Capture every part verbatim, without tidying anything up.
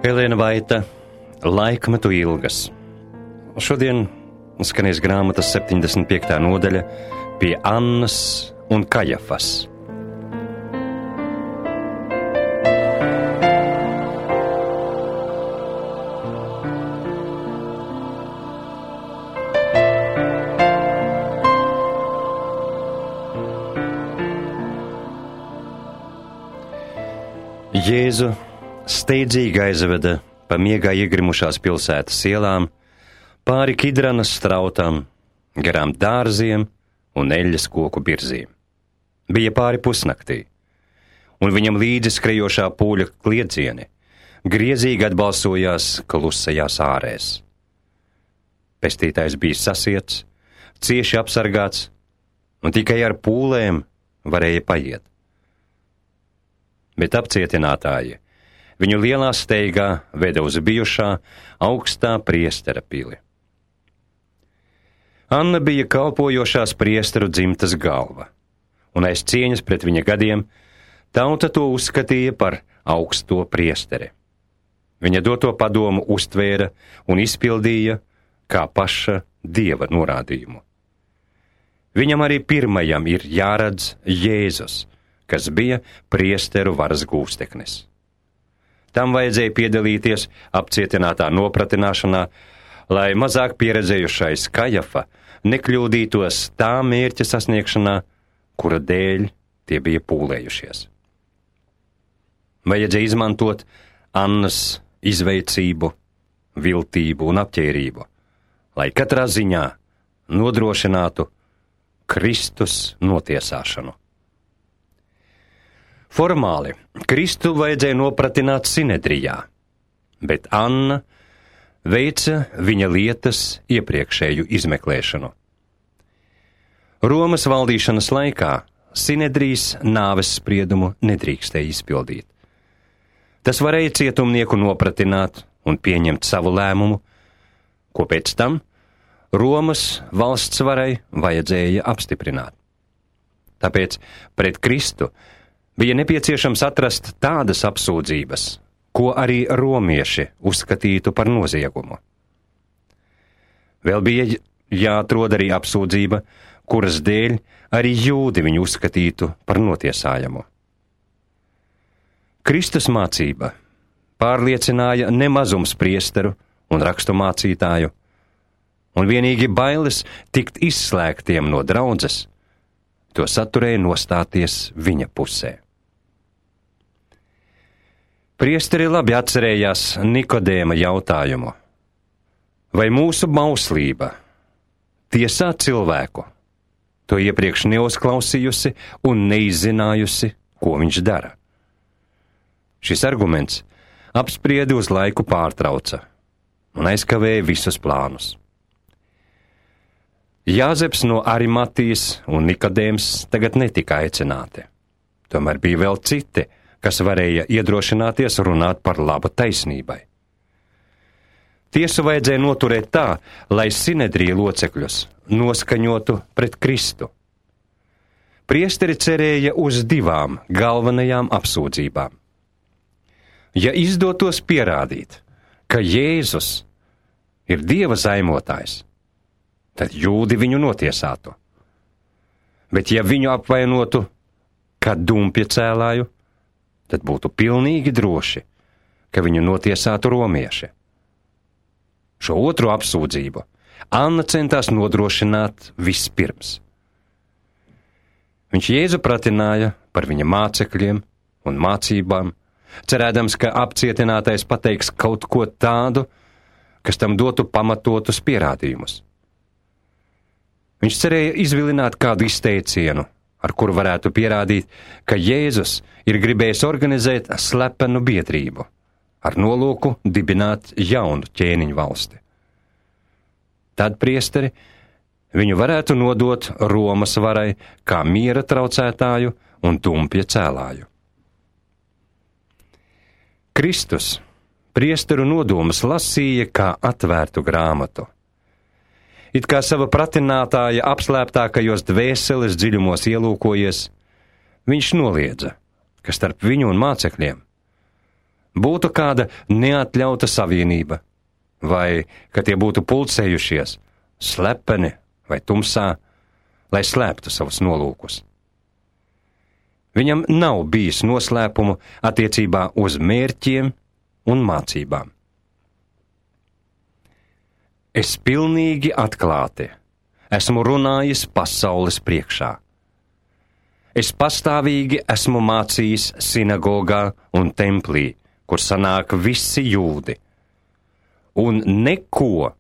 Elēna Vaita, Laikmetu ilgas. Šodien skanēs grāmatas septiņdesmit piektā nodaļa pie Annas un Kajafas. Jēzu steidzīgi aizveda pa miegā iegrimušās pilsētas ielām, pāri Kidranas strautām, garām dārziem un eļļas koku birzīm. Bija pāri pusnaktī, un viņam līdzi skrejošā pūļa kliedzieni griezīgi atbalsojās klusajās ārēs. Pestītājs bija sasiets, cieši apsargāts, un tikai ar pūlēm varēja paiet. Bet apcietinātāji viņu lielā steigā veda uz bijušā augstā priestera pili. Anna bija kalpojošās priesteru dzimtas galva, un aiz cieņas pret viņa gadiem tauta to uzskatīja par augsto priesteri. Viņa doto padomu uztvēra un izpildīja kā paša Dieva norādījumu. Viņam arī pirmajam ir jāredz Jēzus, kas bija priesteru varas gūsteknis. Tam vajadzēja piedalīties apcietinātā nopratināšanā, lai mazāk pieredzējušais Kajafa nekļūdītos tā mērķa sasniegšanā, kura dēļ tie bija pūlējušies. Vajadzēja izmantot Annas izveicību, viltību un apķērību, lai katrā ziņā nodrošinātu Kristus notiesāšanu. Formāli Kristu vajadzēja nopratināt Sinedrijā, bet Anna veica viņa lietas iepriekšēju izmeklēšanu. Romas valdīšanas laikā Sinedrijas nāves spriedumu nedrīkstēja izpildīt. Tas varēja cietumnieku nopratināt un pieņemt savu lēmumu, ko pēc tam Romas valsts varai vajadzēja apstiprināt. Tāpēc pret Kristu bija nepieciešams atrast tādas apsūdzības, ko arī romieši uzskatītu par noziegumu. Vēl bija jāatrod arī apsūdzība, kuras dēļ arī jūdi viņu uzskatītu par notiesājamu. Kristus mācība pārliecināja nemazums priesteru un rakstu mācītāju, un vienīgi bailes tikt izslēgtiem no draudzes, to saturēja nostāties viņa pusē. Priesteri labi atcerējās Nikodēma jautājumu. Vai mūsu bauslība tiesā cilvēku, to iepriekš neuzklausījusi un neizzinājusi, ko viņš dara? Šis arguments apspriedi uz laiku pārtrauca un aizkavēja visus plānus. Jāzeps no Arimatijas un Nikodēms tagad netika aicināti. Tomēr bija vēl citi, kas varēja iedrošināties runāt par labu taisnībai. Tiesu vajadzēja noturēt tā, lai Sinedrija locekļus noskaņotu pret Kristu. Priesteri cerēja uz divām galvenajām apsūdzībām. Ja izdotos pierādīt, ka Jēzus ir Dieva zaimotājs, tad jūdi viņu notiesātu. Bet ja viņu apvainotu kā dumpja cēlāju, tad būtu pilnīgi droši, ka viņu notiesātu romieši. Šo otru apsūdzību Anna centās nodrošināt vispirms. Viņš Jēzu pratināja par viņa mācekļiem un mācībām, cerēdams, ka apcietinātais pateiks kaut ko tādu, kas tam dotu pamatotus pierādījumus. Viņš cerēja izvilināt kādu izteicienu, ar kuru varētu pierādīt, ka Jēzus ir gribējis organizēt slepenu biedrību, ar nolūku dibināt jaunu ķēniņu valsti. Tad priesteri viņu varētu nodot Romas varai kā miera traucētāju un dumpja cēlāju. Kristus priesteru nodomus lasīja kā atvērtu grāmatu. It kā sava pratinātāja apslēptākajos dvēseles dziļumos ielūkojies, viņš noliedza, ka starp viņu un mācekļiem būtu kāda neatļauta savienība, vai ka tie būtu pulcējušies, slepeni vai tumsā, lai slēptu savus nolūkus. Viņam nav bijis noslēpumu attiecībā uz mērķiem un mācībām. Es pilnīgi atklāti esmu runājis pasaules priekšā. Es pastāvīgi esmu mācījis sinagogā un templī, kur sanāk visi jūdi, un neko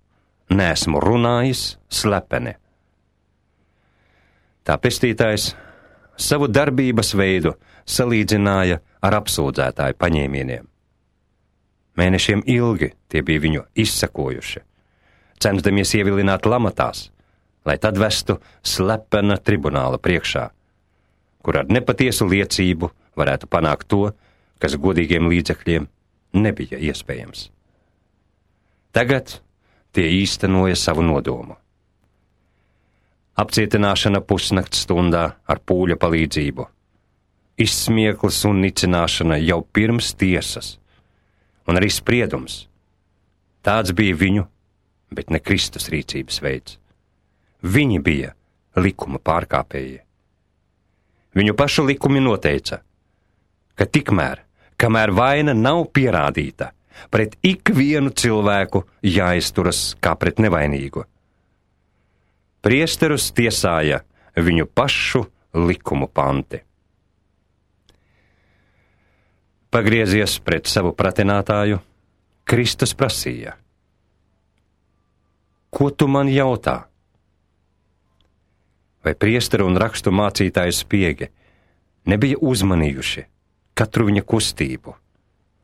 neesmu runājis slepeni. Tā pestītājs savu darbības veidu salīdzināja ar apsūdzētāju paņēmieniem. Mēnešiem ilgi tie bija viņu izsakojuši, censdamies ievilināt lamatās, lai tad vestu slepena tribunāla priekšā, kur ar nepatiesu liecību varētu panākt to, kas godīgiem līdzekļiem nebija iespējams. Tagad tie īstenoja savu nodomu. Apcietināšana pusnakts stundā ar pūļa palīdzību, izsmieklis un nicināšana jau pirms tiesas, un arī spriedums. Tāds bija viņu, bet ne Kristus rīcības veids. Viņi bija likuma pārkāpēji. Viņu pašu likumi noteica, ka tikmēr, kamēr vaina nav pierādīta, pret ikvienu cilvēku jāizturas kā pret nevainīgu. Priesterus tiesāja viņu pašu likumu panti. Pagriezies pret savu pratinātāju, Kristus prasīja: Ko tu man jautā? Vai priesteru un rakstu mācītāju spiegi nebija uzmanījuši katru viņa kustību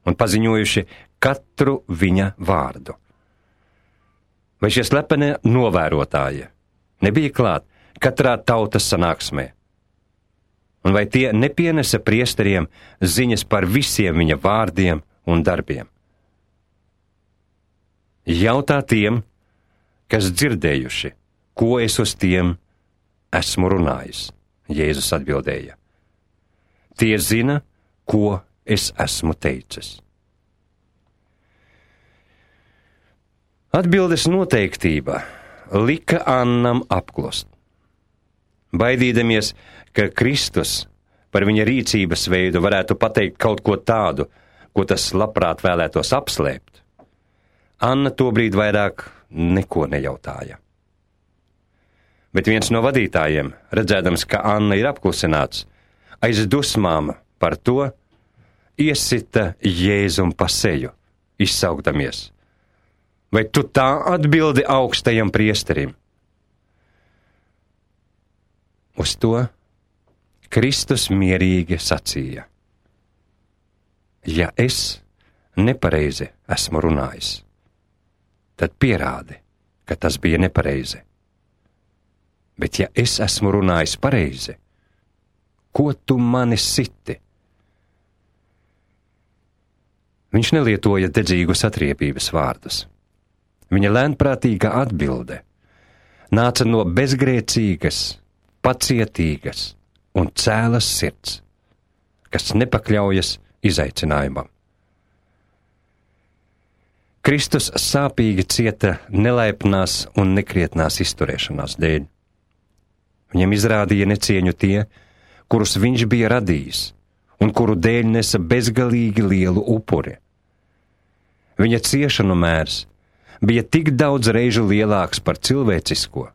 un paziņojuši katru viņa vārdu? Vai šie slepenie novērotāji nebija klāt katrā tautas sanāksmē? Un vai tie nepienesa priesteriem ziņas par visiem viņa vārdiem un darbiem? Jautā tiem, kas dzirdējuši, ko es uz tiem esmu runājis, Jēzus atbildēja. Tie zina, ko es esmu teicis. Atbildes noteiktība lika Annam apklust. Baidīdamies, ka Kristus par viņa rīcības veidu varētu pateikt kaut ko tādu, ko tas labprāt vēlētos apslēpt, Anna tobrīd vairāk neko nejautāja. Bet viens no vadītājiem, redzēdams, ka Anna ir apklusināts, aiz dusmām par to iesita Jēzum pa seju, izsaukdamies: Vai tu tā atbildi augstajam priesterim? Uz to Kristus mierīgi sacīja: Ja es nepareizi esmu runājis, tad pierādi, ka tas bija nepareizi. Bet ja es esmu runājis pareizi, ko tu mani siti? Viņš nelietoja dedzīgus atriebības vārdus. Viņa lēnprātīga atbilde nāca no bezgrēcīgas, pacietīgas un cēlas sirds, kas nepakļaujas izaicinājumam. Kristus sāpīgi cieta nelaipnās un nekrietnās izturēšanās dēļ. Viņam izrādīja necieņu tie, kurus viņš bija radījis un kuru dēļ nesa bezgalīgi lielu upuri. Viņa ciešanu mērs bija tik daudz reižu lielāks par cilvēcisko,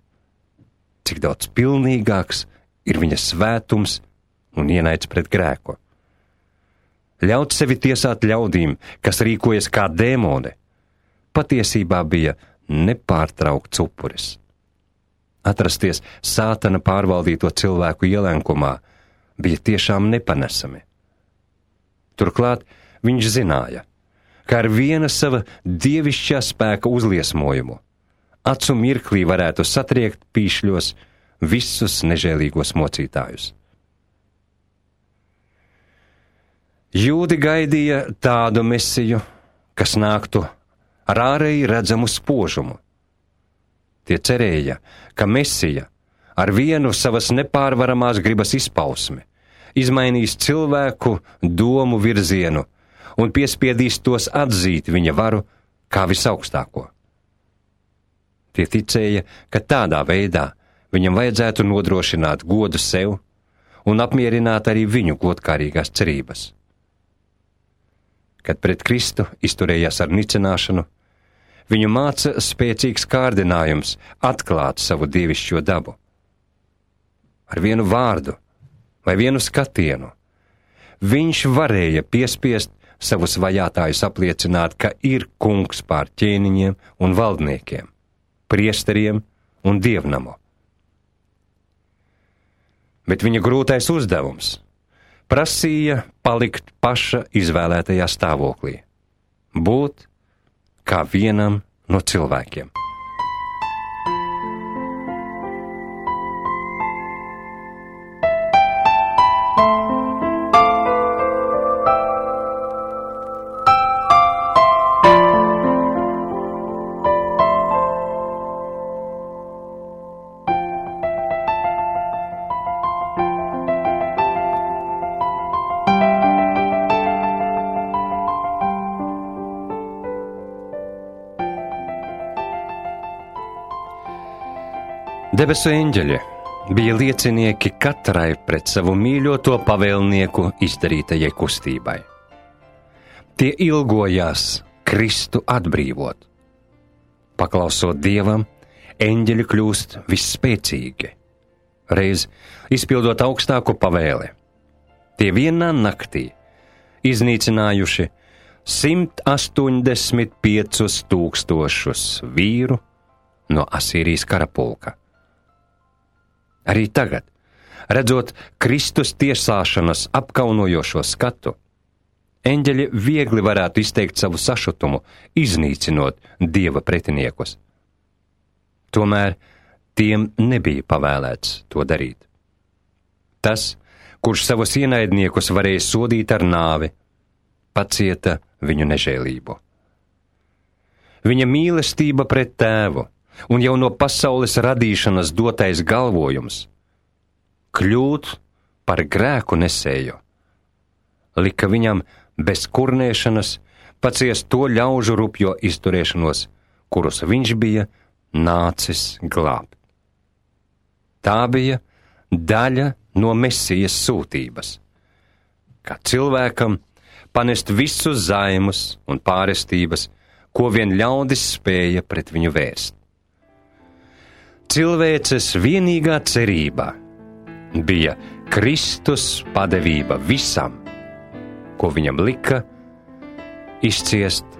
cik daudz pilnīgāks ir viņa svētums un ienaids pret grēku. Ļaut sevi tiesāt ļaudīm, kas rīkojas kā dēmoni, patiesībā bija nepārtraukts upuris. Atrasties sātana pārvaldīto cilvēku ielenkumā bija tiešām nepanesami. Turklāt viņš zināja, ka ar viena sava dievišķā spēka uzliesmojumu acu mirklī varētu satriekt pīšļos visus nežēlīgos mocītājus. Jūdi gaidīja tādu mesiju, kas nāktu ar ārēji redzamu spožumu. Tie cerēja, ka Mesija ar vienu savas nepārvaramās gribas izpausmi izmainīs cilvēku domu virzienu un piespiedīs tos atzīt viņa varu kā visaugstāko. Tie ticēja, ka tādā veidā viņam vajadzētu nodrošināt godu sev un apmierināt arī viņu godkārīgās cerības. Kad pret Kristu izturējās ar nicināšanu, viņu māca spēcīgs kārdinājums atklāt savu dievišķo dabu. Ar vienu vārdu vai vienu skatienu viņš varēja piespiest savus vajātājus apliecināt, ka ir kungs pār ķēniņiem un valdniekiem, priesteriem un dievnamu. Bet viņa grūtais uzdevums prasīja palikt paša izvēlētajā stāvoklī, būt kā vienam no cilvēkiem. Debesu eņģeļi bija liecinieki katrai pret savu mīļoto pavēlnieku izdarītajai kustībai. Tie ilgojās Kristu atbrīvot. Paklausot Dievam, eņģeļi kļūst visspēcīgi, reiz izpildot augstāko pavēli. Tie vienā naktī iznīcinājuši simt astoņdesmit piecus tūkstošus vīru no Asīrijas karapulka. Arī tagad, redzot Kristus tiesāšanas apkaunojošo skatu, eņģeļi viegli varētu izteikt savu sašutumu, iznīcinot Dieva pretiniekus. Tomēr tiem nebija pavēlēts to darīt. Tas, kurš savus ienaidniekus varēja sodīt ar nāvi, pacieta viņu nežēlību. Viņa mīlestība pret tēvu un jau no pasaules radīšanas dotais galvojums kļūt par grēku nesēju, lika viņam bez kurnēšanas paciest to ļaužu rupjo izturēšanos, kurus viņš bija nācis glābt. Tā bija daļa no Mesijas sūtības, kā cilvēkam panest visus zaimus un pārestības, ko vien ļaudis spēja pret viņu vērst. Cilvēces vienīgā cerība bija Kristus padevība visam, ko viņam lika izciest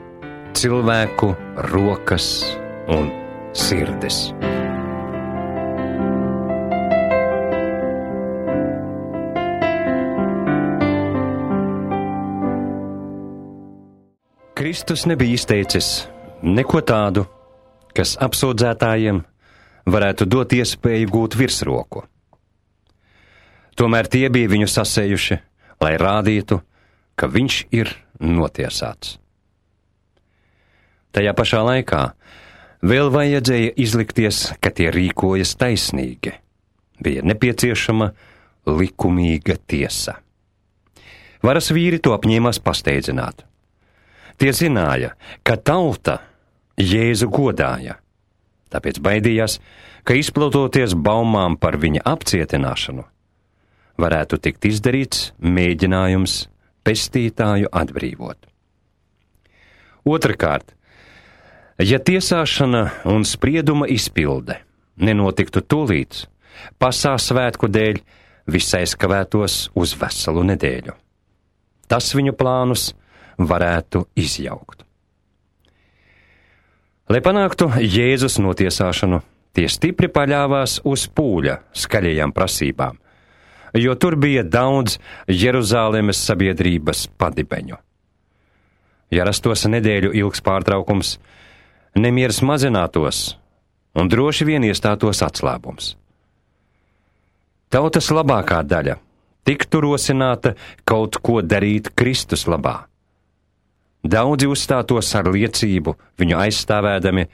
cilvēku rokas un sirdis. Kristus nebija izteicis neko tādu, kas apsūdzētājiem varētu dot iespēju gūt virsroku. Tomēr tie bija viņu sasējuši, lai rādītu, ka viņš ir notiesāts. Tajā pašā laikā vēl vajadzēja izlikties, ka tie rīkojas taisnīgi. Bija nepieciešama likumīga tiesa. Varas vīri to apņēmās pasteidzināt. Tie zināja, ka tauta Jēzu godāja, tāpēc baidījās, ka izplatoties baumām par viņa apcietināšanu, varētu tikt izdarīts mēģinājums pestītāju atbrīvot. Otrakārt, ja tiesāšana un sprieduma izpilde nenotiktu tūlīt, pasā svētku dēļ viss aizkavētos uz veselu nedēļu. Tas viņu plānus varētu izjaukt. Lai panāktu Jēzus notiesāšanu, tie stipri paļāvās uz pūļa skaļajām prasībām, jo tur bija daudz Jeruzālēmes sabiedrības padibeņu. Ja rastos nedēļu ilgs pārtraukums, nemieris mazinātos un droši vien iestātos atslābums. Tautas labākā daļa tiktu rosināta kaut ko darīt Kristus labā. Daudzi uzstātos ar liecību, viņu aizstāvēdami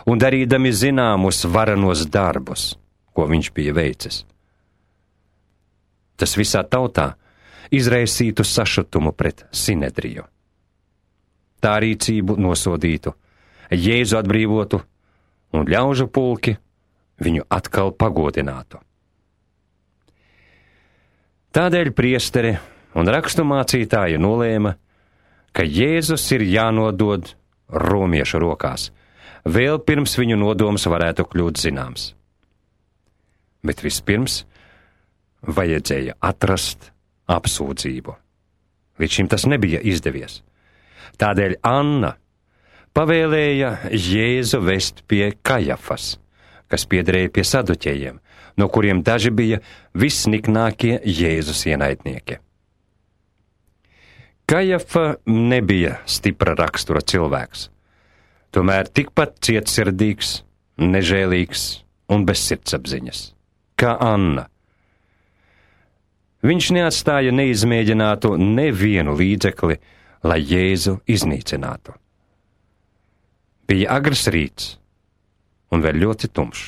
un darīdami zināmus varenos darbus, ko viņš bija veicis. Tas visā tautā izraisītu sašutumu pret Sinedriju. tā rīcību nosodītu, Jēzu atbrīvotu un ļaužu pulki viņu atkal pagodinātu. Tādēļ priesteri un raksturmācītāji nolēma, ka Jēzus ir jānodod romiešu rokās, vēl pirms viņu nodoms varētu kļūt zināms. Bet vispirms vajadzēja atrast apsūdzību. Līdz šim tas nebija izdevies. Tādēļ Anna pavēlēja Jēzu vest pie Kajafas, kas piederēja pie saduķējiem, no kuriem daži bija visniknākie Jēzus ienaidnieki. Kajafa nebija stipra rakstura cilvēks, tomēr tikpat cietsirdīgs, nežēlīgs un bez sirdsapziņas, kā Anna. Viņš neatstāja neizmēģinātu nevienu līdzekli, lai Jēzu iznīcinātu. Bija agrs rīts un vēl ļoti tumšs.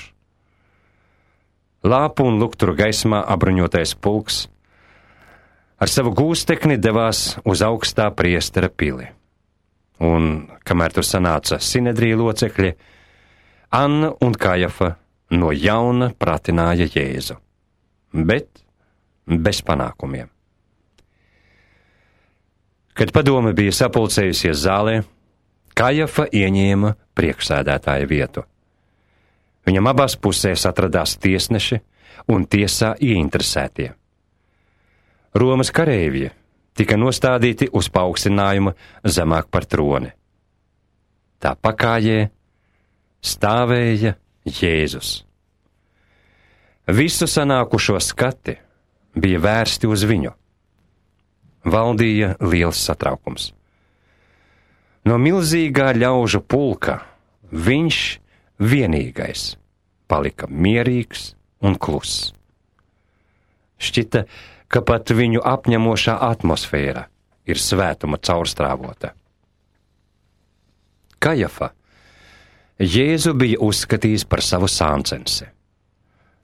Lāpu un lukturu gaismā apbruņotais pulks ar savu gūstekni devās uz augstā priestera pili. Un, kamēr tur sanāca Sinedrija locekļi, Anna un Kajafa no jauna pratināja Jēzu, bet bez panākumiem. Kad padome bija sapulcējusies zālē, Kajafa ieņēma priekšsēdētāja vietu. Viņam abās pusēs atradās tiesneši un tiesā ieinteresētie. Romas kareivji tika nostādīti uz paaugstinājumu zemāk par troni. Tā pakājē stāvēja Jēzus. Visu sanākušo skati bija vērsti uz viņu. Valdīja liels satraukums. No milzīgā ļaužu pulka viņš vienīgais palika mierīgs un kluss. Šķita, ka pat viņu apņemošā atmosfēra ir svētuma caurstrāvota. Kajafa Jēzu bija uzskatījis par savu sāncensi.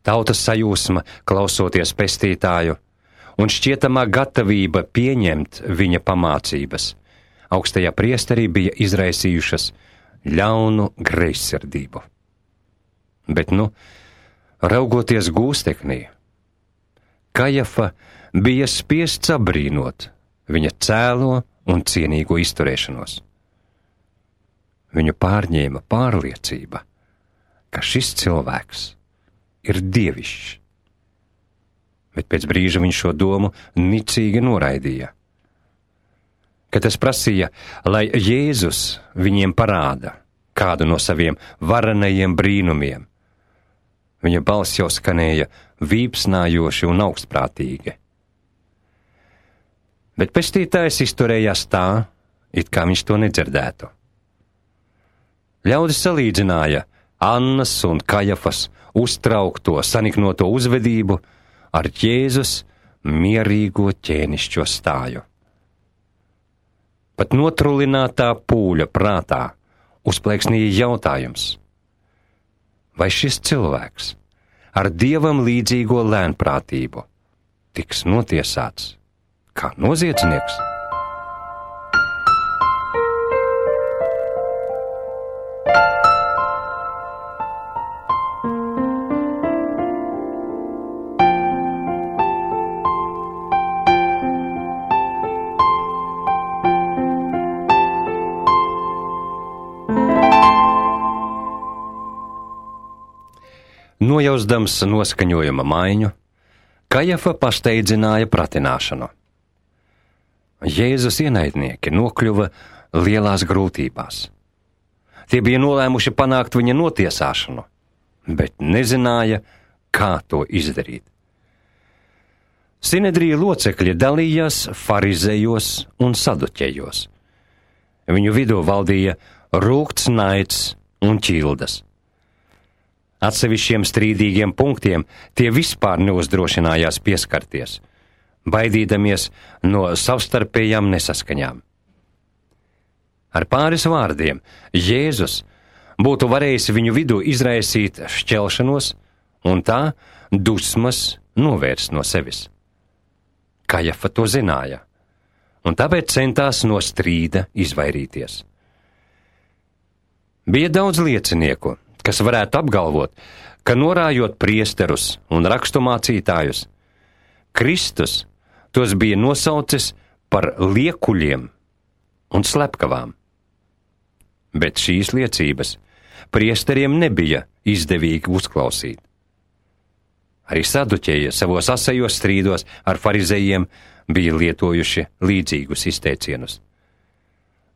Tautas sajūsma klausoties pestītāju un šķietamā gatavība pieņemt viņa pamācības augstajā priesterī bija izraisījušas ļaunu greizsirdību. Bet nu, raugoties gūsteknī, Kajafa bija spiests apbrīnot viņa cēlo un cienīgo izturēšanos. Viņu pārņēma pārliecība, ka šis cilvēks ir dievišķs. Bet pēc brīža viņš šo domu nicīgi noraidīja. Kad es prasīja, lai Jēzus viņiem parāda kādu no saviem varenajiem brīnumiem, viņa balss jau skanēja vīpsnājoši un augstprātīgi. Bet pestītājs izturējās tā, it kā viņš to nedzirdētu. Ļaudis salīdzināja Annas un Kajafas uztraukto, saniknoto uzvedību ar Jēzus mierīgo ķēnišķo stāju. Pat notrulinātā pūļa prātā uzplēksnīja jautājums, vai šis cilvēks ar dievam līdzīgo lēnprātību tiks notiesāts kā noziedznieks? Nojausdams noskaņojuma maiņu, Kajafa pasteidzināja pratināšanu. Jēzus ienaidnieki nokļuva lielās grūtībās. Tie bija nolēmuši panākt viņa notiesāšanu, bet nezināja, kā to izdarīt. Sinedrija locekļi dalījās farizejos un saduķejos. Viņu vidū valdīja rūgts naids un ķildas. Atsevišķiem strīdīgiem punktiem tie vispār neuzdrošinājās pieskarties, baidīdamies no savstarpējām nesaskaņām. Ar pāris vārdiem Jēzus būtu varējis viņu vidū izraisīt šķelšanos un tā dusmas novērst no sevis. Kajafa to zināja un tāpēc centās no strīda izvairīties. Bija daudz liecinieku, kas varētu apgalvot, ka norājot priesterus un raksturmācītājus, Kristus tos bija nosaucis par liekuļiem un slepkavām. Bet šīs liecības priesteriem nebija izdevīgi uzklausīt. Arī saduķēji savos asajos strīdos ar farizejiem bija lietojuši līdzīgus izteicienus.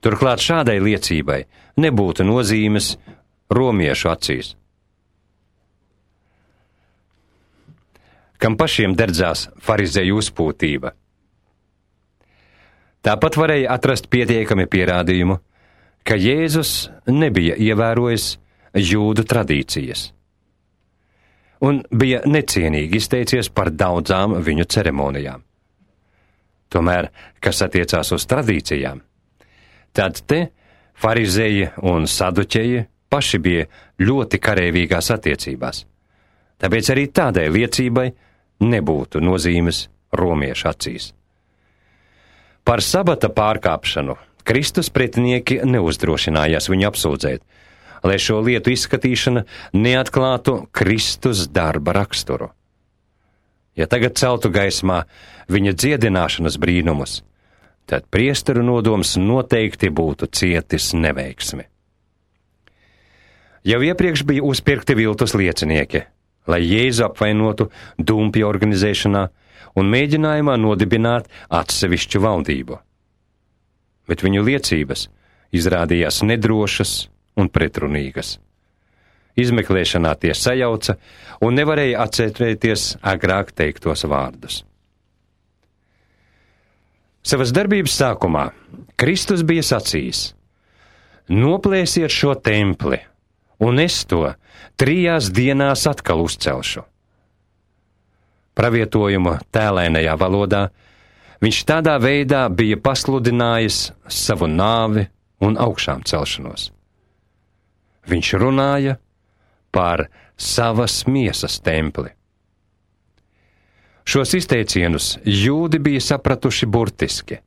Turklāt šādai liecībai nebūtu nozīmes romiešu acīs, kam pašiem derdzās farizeju uzpūtība. Tāpat varēja atrast pietiekami pierādījumu, ka Jēzus nebija ievērojis jūdu tradīcijas un bija necienīgi izteicies par daudzām viņu ceremonijām. Tomēr, kas attiecās uz tradīcijām, tad te farizeji un saduķeji paši bija ļoti kareivīgās attiecībās, tāpēc arī tādai liecībai nebūtu nozīmes romiešu acīs. Par sabata pārkāpšanu Kristus pretinieki neuzdrošinājās viņu apsūdzēt, lai šo lietu izskatīšana neatklātu Kristus darba raksturu. Ja tagad celtu gaismā viņa dziedināšanas brīnumus, tad priesteru nodoms noteikti būtu cietis neveiksmi. Jau iepriekš bija uzpirkti viltus liecinieki, lai Jēzu apvainotu dumpja organizēšanā un mēģinājumā nodibināt atsevišķu valdību. Bet viņu liecības izrādījās nedrošas un pretrunīgas. Izmeklēšanā tie sajauca un nevarēja atcerēties agrāk teiktos vārdus. Savas darbības sākumā Kristus bija sacījis: noplēsiet šo templi, un es to trijās dienās atkal uzcelšu. Pravietojumu tēlainajā valodā viņš tādā veidā bija pasludinājis savu nāvi un augšām celšanos. Viņš runāja par savas miesas templi. Šos izteicienus jūdi bija sapratuši burtiski,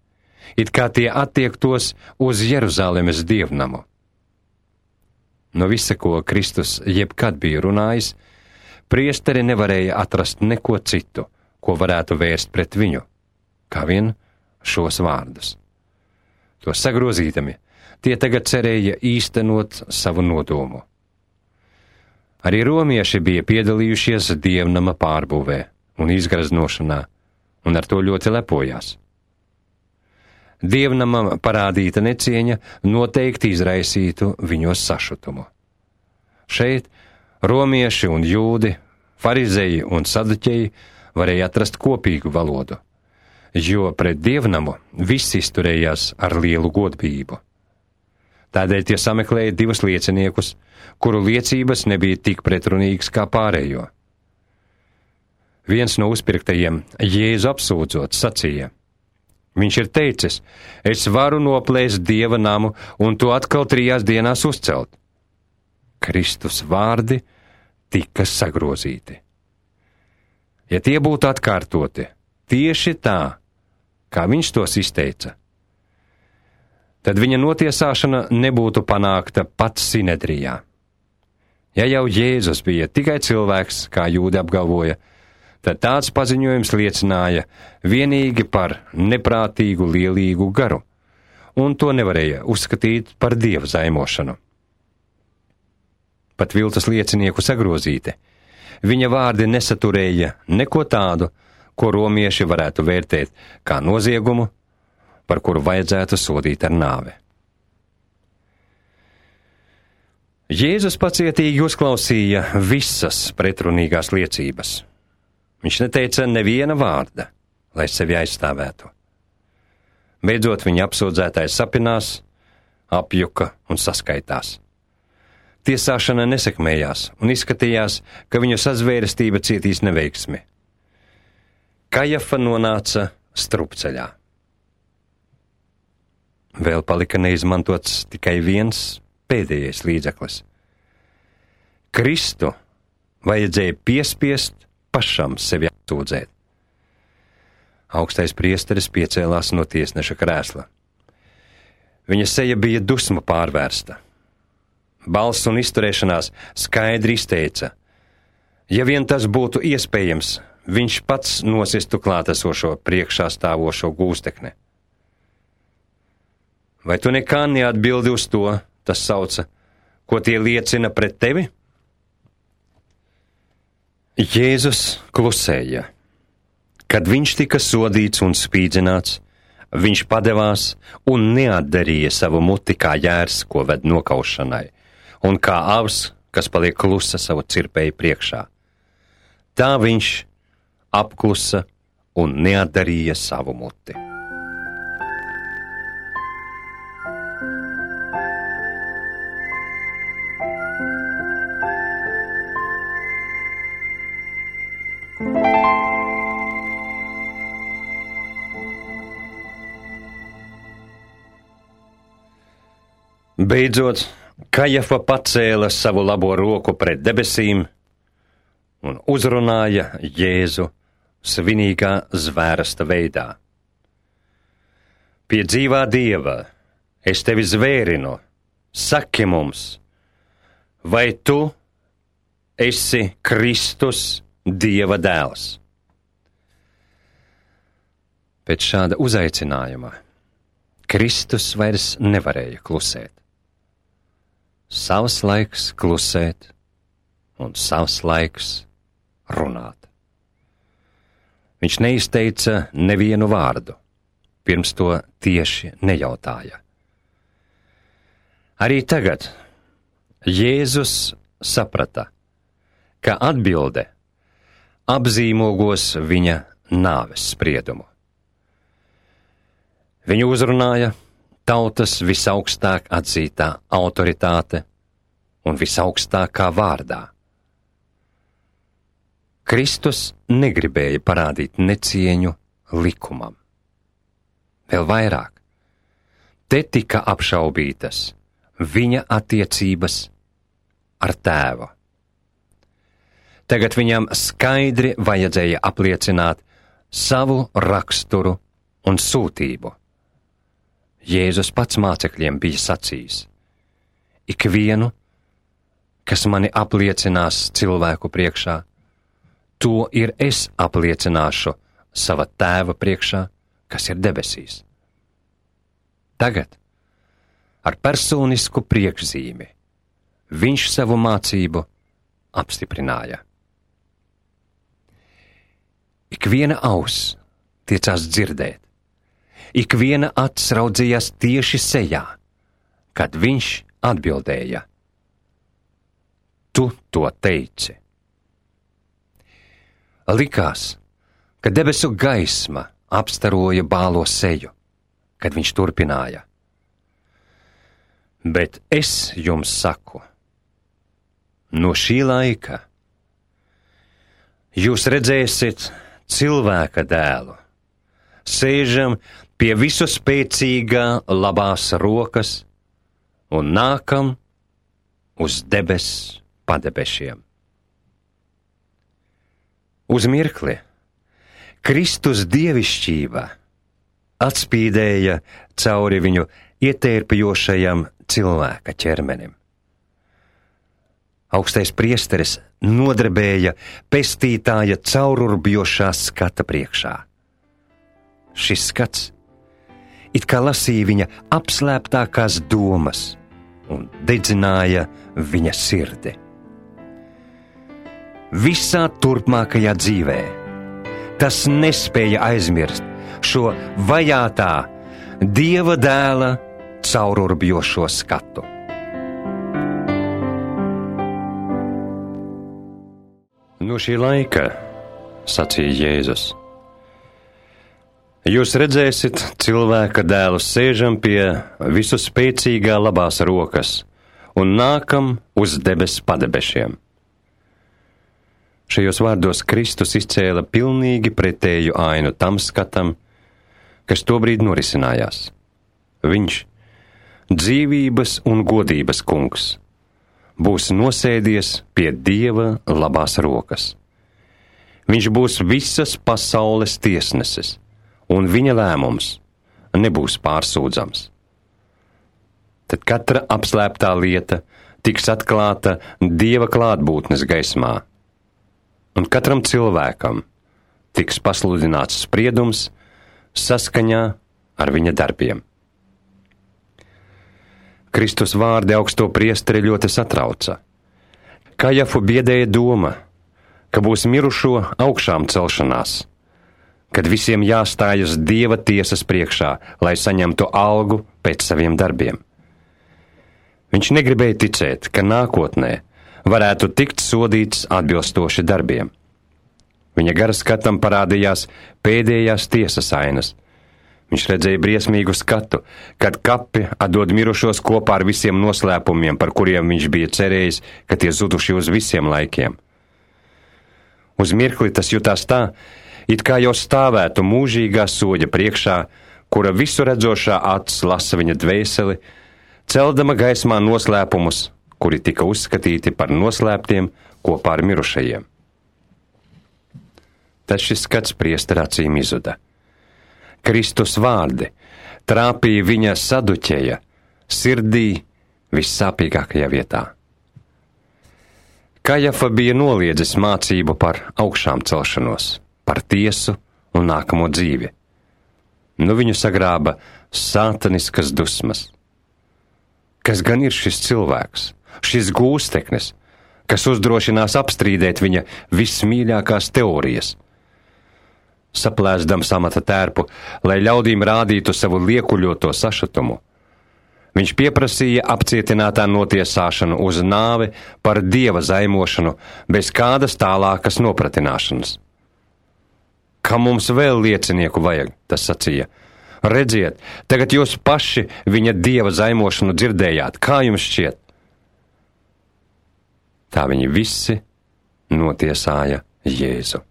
it kā tie attiektos uz Jeruzalemes dievnamu. No visa, ko Kristus jebkad bija runājis, priesteri nevarēja atrast neko citu, ko varētu vērst pret viņu, kā vien šos vārdus. To sagrozīdami, tie tagad cerēja īstenot savu nodomu. Arī romieši bija piedalījušies dievnama pārbūvē un izgraznošanā, un ar to ļoti lepojās. Dievnamam parādīta necieņa noteikti izraisītu viņos sašutumu. Šeit romieši un jūdi, farizeji un saduķeji varēja atrast kopīgu valodu, jo pret dievnamu viss izturējās ar lielu godbību. Tādēļ tie sameklēja divus lieciniekus, kuru liecības nebija tik pretrunīgas kā pārējo. Viens no uzpirktajiem, Jēzu apsūdzot, sacīja: viņš ir teicis, es varu noplēst Dieva namu un to atkal trijās dienās uzcelt. Kristus vārdi tika sagrozīti. Ja tie būtu atkārtoti tieši tā, kā viņš tos izteica, tad viņa notiesāšana nebūtu panākta pat Sinedrijā. Ja jau Jēzus bija tikai cilvēks, kā jūdi apgalvoja, tad tāds paziņojums liecināja vienīgi par neprātīgu lielīgu garu, un to nevarēja uzskatīt par dieva zaimošanu. Pat viltus liecinieku sagrozīti, viņa vārdi nesaturēja neko tādu, ko romieši varētu vērtēt kā noziegumu, par kuru vajadzētu sodīt ar nāvi. Jēzus pacietīgi uzklausīja visas pretrunīgās liecības. Viņš neteica neviena vārda, lai sevi aizstāvētu. Beidzot viņa apsūdzētais sapinās, apjuka un saskaitās. Tiesāšana nesekmējās un izskatījās, ka viņu sazvērestība cietīs neveiksmi. Kajafa nonāca strupceļā. Vēl palika neizmantots tikai viens pēdējais līdzeklis. Kristu vajadzēja piespiest pašam sevi apsūdzēt. Augstais priesteris piecēlās no tiesneša krēsla. Viņa seja bija dusmu pārvērsta. Balss un izturēšanās skaidri izteica: ja vien tas būtu iespējams, viņš pats nosistu klātesošo priekšā stāvošo gūstekni. Vai tu nekā neatbildi uz to, tas sauca, ko tie liecina pret tevi? Jēzus klusēja. Kad viņš tika sodīts un spīdzināts, viņš padevās un neatdarīja savu muti kā jērs, ko ved nokaušanai, un kā avs, kas paliek klusa savu cirpēju priekšā. Tā viņš apklusa un neatdarīja savu muti. Beidzot, Kajafa pacēla savu labo roku pret debesīm un uzrunāja Jēzu svinīgā zvērsta veidā. Pie dzīvā Dieva es tevi zvērinu, saki mums, vai tu esi Kristus, Dieva dēls? Pēc šāda uzaicinājuma Kristus vairs nevarēja klusēt. Savs laiks klusēt un savs laiks runāt. Viņš neizteica nevienu vārdu, pirms to tieši nejautāja. Arī tagad Jēzus saprata, ka atbilde apzīmogos viņa nāves spriedumu. Viņu uzrunāja tautas visaugstāk atzītā autoritāte un visaugstākā vārdā. Kristus negribēja parādīt necieņu likumam. Vēl vairāk, te tika apšaubītas viņa attiecības ar Tēvu. Tagad viņam skaidri vajadzēja apliecināt savu raksturu un sūtību. Jēzus pats mācekļiem bija sacījis: ikvienu, kas mani apliecinās cilvēku priekšā, to ir es apliecināšu sava Tēva priekšā, kas ir debesīs. Tagad, ar personisku priekšzīmi, viņš savu mācību apstiprināja. Ikviena auss tiecās dzirdēt, ikviena acs raudzījās tieši sejā, kad viņš atbildēja: tu to teici. Likās, ka debesu gaisma apstaroja bālo seju, kad viņš turpināja: bet es jums saku, no šī laika jūs redzēsiet cilvēka dēlu, sēžam pie visu spēcīgā labās rokas un nākam uz debes padebešiem. Uz mirkli Kristus dievišķība atspīdēja cauri viņu ietērpjošajam cilvēka ķermenim. Augstais priesteris nodrebēja pestītāja caururbjošā skata priekšā. Šis skats it kā lasīja viņa apslēptākās domas un dedzināja viņa sirdi. Visā turpmākajā dzīvē tas nespēja aizmirst šo vajātā Dieva dēla caururbjošo skatu. No šī laika, sacīja Jēzus, jūs redzēsiet cilvēka dēlu sēžam pie visu spēcīgā labās rokas un nākam uz debes padebešiem. Šajos vārdos Kristus izcēla pilnīgi pretēju ainu tam skatam, kas tobrīd norisinājās. Viņš, dzīvības un godības kungs, būs nosēdies pie Dieva labās rokas. Viņš būs visas pasaules tiesnesis un viņa lēmums nebūs pārsūdzams. Tad katra apslēptā lieta tiks atklāta Dieva klātbūtnes gaismā, un katram cilvēkam tiks pasludināts spriedums saskaņā ar viņa darbiem. Kristus vārdi augsto priesteri ļoti satrauca. Kajafu biedēja doma, ka būs mirušo augšām celšanās, kad visiem jāstājas Dieva tiesas priekšā, lai saņemtu algu pēc saviem darbiem. Viņš negribēja ticēt, ka nākotnē varētu tikt sodīts atbilstoši darbiem. Viņa gara skatam parādījās pēdējās tiesas ainas. Viņš redzēja briesmīgu skatu, kad kapi atdod mirušos kopā ar visiem noslēpumiem, par kuriem viņš bija cerējis, ka tie zuduši uz visiem laikiem. Uz mirkli tas jutās tā, it kā jau stāvētu mūžīgā soļa priekšā, kura visu redzošā acis lasa viņa dvēseli, celdama gaismā noslēpumus, kuri tika uzskatīti par noslēptiem kopā ar mirušajiem. Tad šis skats priestera acīm izuda. Kristus vārdi trāpīja viņa saduķeja sirdī vissāpīgākajā vietā. Kajafa bija noliedzis mācību par augšām celšanos, par tiesu un nākamo dzīvi. Nu viņu sagrāba sātaniskas dusmas. Kas gan ir šis cilvēks, šis gūsteknis, kas uzdrošinās apstrīdēt viņa vismīļākās teorijas? Saplēsdams amata tērpu, lai ļaudīm rādītu savu liekuļoto sašutumu, viņš pieprasīja apcietinātā notiesāšanu uz nāvi par Dieva zaimošanu bez kādas tālākas nopratināšanas. Kam mums vēl liecinieku vajag, tas sacīja. Redziet, tagad jūs paši viņa Dieva zaimošanu dzirdējāt, kā jums šķiet? Tā viņi visi notiesāja Jēzu.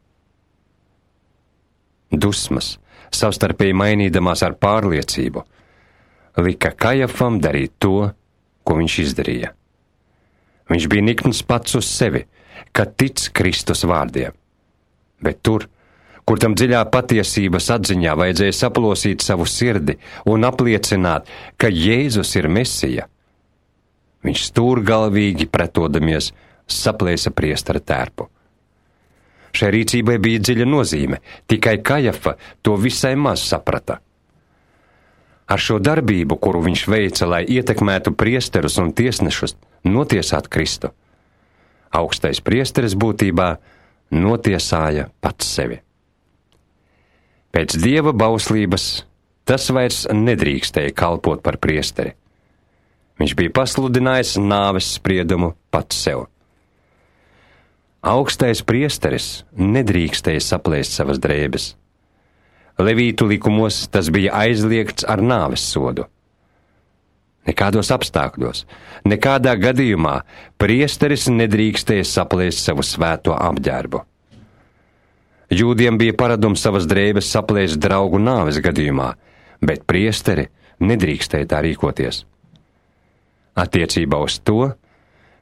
Dusmas, savstarpēji mainīdamās ar pārliecību, lika Kajafam darīt to, ko viņš izdarīja. Viņš bija nikns pats uz sevi, ka tic Kristus vārdiem, bet tur, kur tam dziļā patiesības atziņā vajadzēja saplosīt savu sirdi un apliecināt, ka Jēzus ir Mesija, viņš stūrgalvīgi pretodamies saplēsa priestera tērpu. Šai rīcībai bija dziļa nozīme, tikai Kajafa to visai maz saprata. Ar šo darbību, kuru viņš veica, lai ietekmētu priesterus un tiesnešus notiesāt Kristu, augstais priesteris būtībā notiesāja pats sevi. Pēc Dieva bauslības tas vairs nedrīkstēja kalpot par priesteri. Viņš bija pasludinājis nāves spriedumu pats sev. Augstais priesteris nedrīkstēja saplēst savas drēbes. Levītu likumos tas bija aizliegts ar nāves sodu. Nekādos apstākļos, nekādā gadījumā priesteris nedrīkstēja saplēst savu svēto apģērbu. Jūdiem bija paradums savas drēbes saplēst draugu nāves gadījumā, bet priesteri nedrīkstēja tā rīkoties. Attiecībā uz to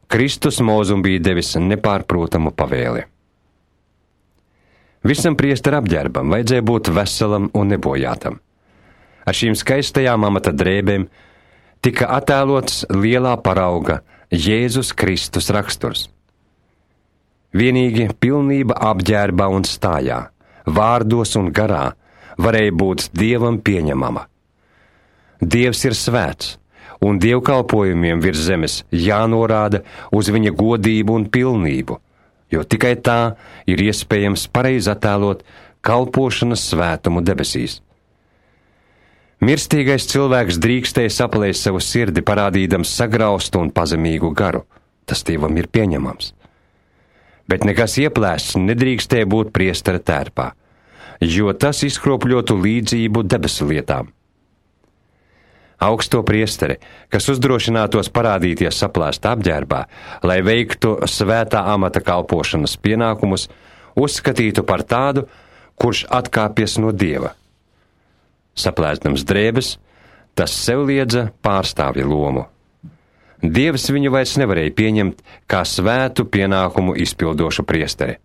Kristus mūzum bija devis nepārprotamu pavēli. Visam priestera apģērbam vajadzēja būt veselam un nebojātam. Ar šīm skaistajām amata drēbēm tika attēlots lielā parauga Jēzus Kristus raksturs. Vienīgi pilnība apģērbā un stājā, vārdos un garā varēja būt Dievam pieņemama. Dievs ir svēts, un dievkalpojumiem virs zemes jānorāda uz viņa godību un pilnību, jo tikai tā ir iespējams pareizi attēlot kalpošanas svētumu debesīs. Mirstīgais cilvēks drīkstēja saplēst savu sirdi, parādīdams sagraustu un pazemīgu garu. Tas Dievam ir pieņemams. Bet nekas ieplēsts nedrīkstēja būt priestera tērpā, jo tas izkropļotu līdzību debesu lietām. Augsto priesteri, kas uzdrošinātos parādīties saplēstā apģērbā, lai veiktu svētā amata kalpošanas pienākumus, uzskatītu par tādu, kurš atkāpjas no Dieva. Saplēstams drēbes, tas sev liedza pārstāvja lomu. Dievs viņu vairs nevarēja pieņemt kā svētu pienākumu izpildošu priesteri.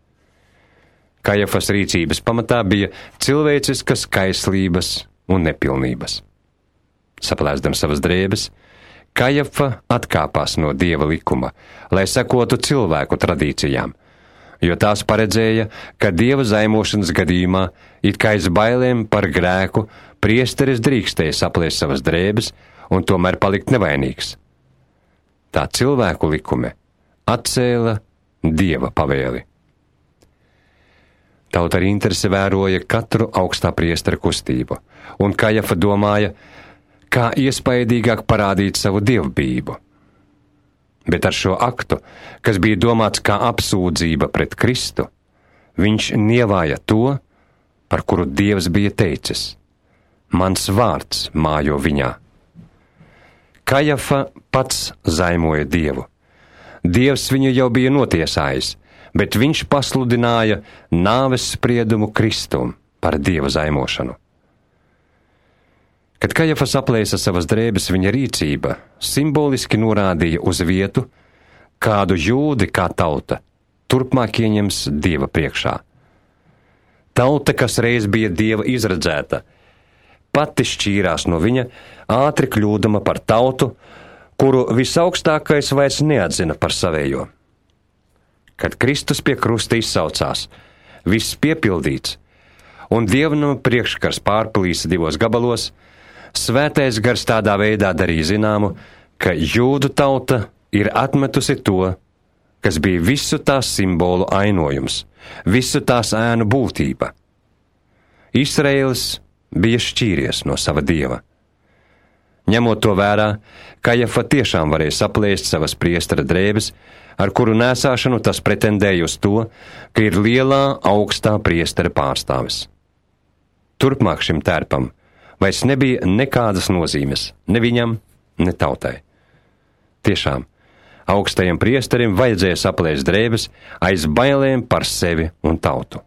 Kajafas rīcības pamatā bija cilvēciskas kaislības un nepilnības. Saplēsdam savas drēbes, Kajafa atkāpās no Dieva likuma, lai sekotu cilvēku tradīcijām, jo tās paredzēja, ka Dieva zaimošanas gadījumā, it kā aiz bailēm par grēku, priesteris drīkstēja saplēst savas drēbes un tomēr palikt nevainīgs. Tā cilvēku likumi atcēla Dieva pavēli. Tauta ar interesi vēroja katru augstā priestera kustību, un Kajafa domāja, kā iespaidīgāk parādīt savu dievbijību. Bet ar šo aktu, kas bija domāts kā apsūdzība pret Kristu, viņš nievāja to, par kuru Dievs bija teicis: mans vārds mājo viņā. Kajafa pats zaimoja Dievu. Dievs viņu jau bija notiesājis, bet viņš pasludināja nāves spriedumu Kristum par Dieva zaimošanu. Kad Kajafa saplēsa savas drēbes, viņa rīcība simboliski norādīja uz vietu, kādu jūdi kā tauta turpmāk ieņems Dieva priekšā. Tauta, kas reiz bija Dieva izredzēta, pati šķīrās no viņa, ātri kļūdama par tautu, kuru visaugstākais vairs neatzina par savējo. Kad Kristus pie krusta izsaucās, viss piepildīts, un dievnama priekškars pārplīsa divos gabalos, Svētais gars tādā veidā darīja zināmu, ka jūdu tauta ir atmetusi to, kas bija visu tās simbolu ainojums, visu tās ēnu būtība. Izraēlis bija šķīries no sava dieva. Ņemot to vērā, Kajafa tiešām varēja saplēst savas priestera drēbes, ar kuru nēsāšanu tas pretendēja uz to, ka ir lielā augstā priestera pārstāvis. Turpmāk šim tērpam vairs nebija nekādas nozīmes, ne viņam, ne tautai. Tiešām, augstajam priesterim vajadzēja saplēst drēbes aiz bailēm par sevi un tautu.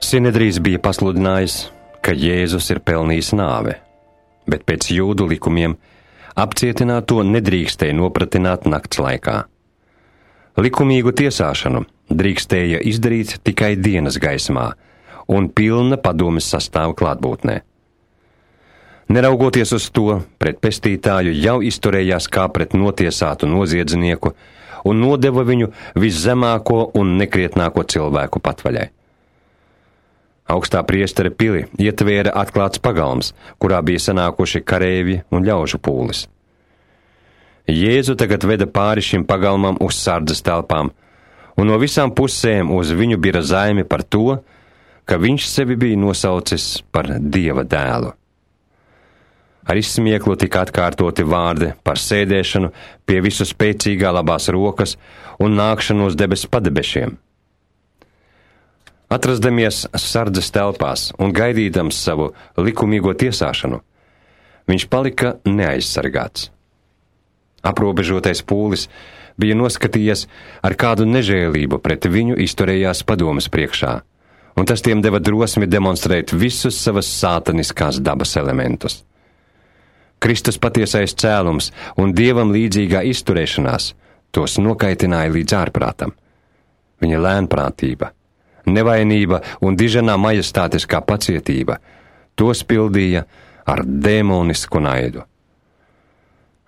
Sinedrijs bija pasludinājis, ka Jēzus ir pelnījis nāve, bet pēc jūdu likumiem apcietināto nedrīkstēja nopratināt nakts laikā. Likumīgu tiesāšanu drīkstēja izdarīt tikai dienas gaismā un pilna padomes sastāva klātbūtnē. Neraugoties uz to, pret pestītāju jau izturējās kā pret notiesātu noziedznieku un nodeva viņu viszemāko un nekrietnāko cilvēku patvaļai. Augstā priestera pili ietvēra atklāts pagalms, kurā bija sanākuši kareivji un ļaužu pūlis. Jēzu tagad veda pāri šim pagalmam uz sardzes telpām, un no visām pusēm uz viņu bija zaimi par to, ka viņš sevi bija nosaucis par Dieva dēlu. Ar izsmieklu tika atkārtoti vārdi par sēdēšanu pie visu spēcīgā labās rokas un nākšanu uz debes padebešiem. Atrasdamies sardzes telpās un gaidīdams savu likumīgo tiesāšanu, viņš palika neaizsargāts. Aprobežotais pūlis bija noskatījies, ar kādu nežēlību pret viņu izturējās padomes priekšā, un tas tiem deva drosmi demonstrēt visus savas sātaniskās dabas elementus. Kristus patiesais cēlums un Dievam līdzīgā izturēšanās tos nokaitināja līdz ārprātam. Viņa lēnprātība, nevainība un diženā majestātiskā pacietība tos pildīja ar dēmonisku naidu.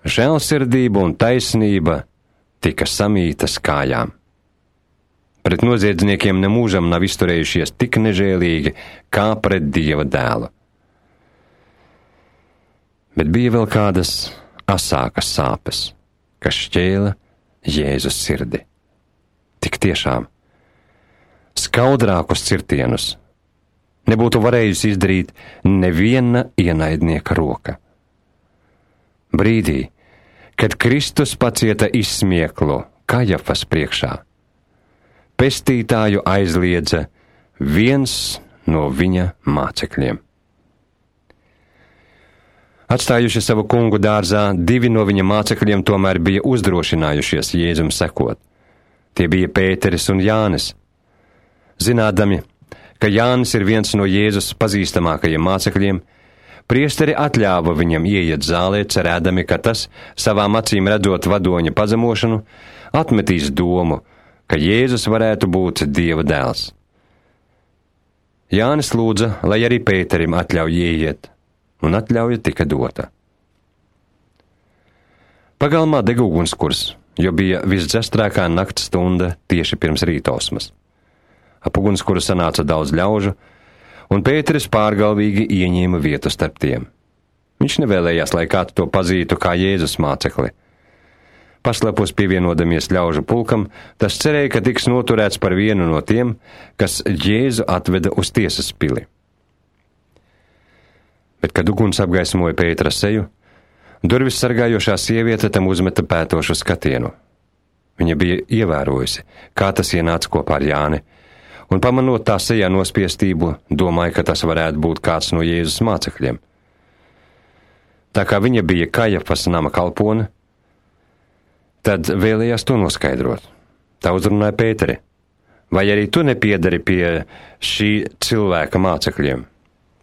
Žēlsirdība un taisnība tika samītas kājām. Pret noziedzniekiem nemūžam nav izturējušies tik nežēlīgi kā pret Dieva dēlu. Bet bija vēl kādas asākas sāpes, kas šķēla Jēzus sirdi. Tik tiešām, skaudrākus cirtienus nebūtu varējusi izdarīt neviena ienaidnieka roka. Brīdī, kad Kristus pacieta izsmieklu Kajafas priekšā, pestītāju aizliedza viens no viņa mācekļiem. Atstājuši savu kungu dārzā, divi no viņa mācekļiem tomēr bija uzdrošinājušies Jēzum sekot. Tie bija Pēteris un Jānis. Zinādami, ka Jānis ir viens no Jēzus pazīstamākajiem mācekļiem, priesteri atļāva viņam ieiet zālē, cerēdami, ka tas, savām acīm redzot vadoņa pazemošanu, atmetīs domu, ka Jēzus varētu būt Dieva dēls. Jānis lūdza, lai arī Pēterim atļauj ieiet, un atļauja tika dota. Pagalmā dega ugunskurs, jo bija visdzestrākā nakts stunda tieši pirms rītausmas. Ap ugunskuru sanāca daudz ļaužu, un Pēteris pārgalvīgi ieņēma vietu starp tiem. Viņš nevēlējās, lai kāds to pazītu kā Jēzus mācekli. Paslepus pievienodamies ļaužu pulkam, tas cerēja, ka tiks noturēts par vienu no tiem, kas Jēzu atveda uz tiesas pili. Bet, kad uguns apgaismoja Pētera seju, durvis sargājošā sieviete tam uzmeta pētošu skatienu. Viņa bija ievērojusi, kā tas ienāca kopā ar Jāni, un pamanot tā sejā nospiestību, domāja, ka tas varētu būt kāds no Jēzus mācekļiem. Tā kā viņa bija Kajafas nama kalpone, tad vēlējās to noskaidrot. Tā uzrunāja Pēteri: vai arī tu nepiedari pie šī cilvēka mācekļiem?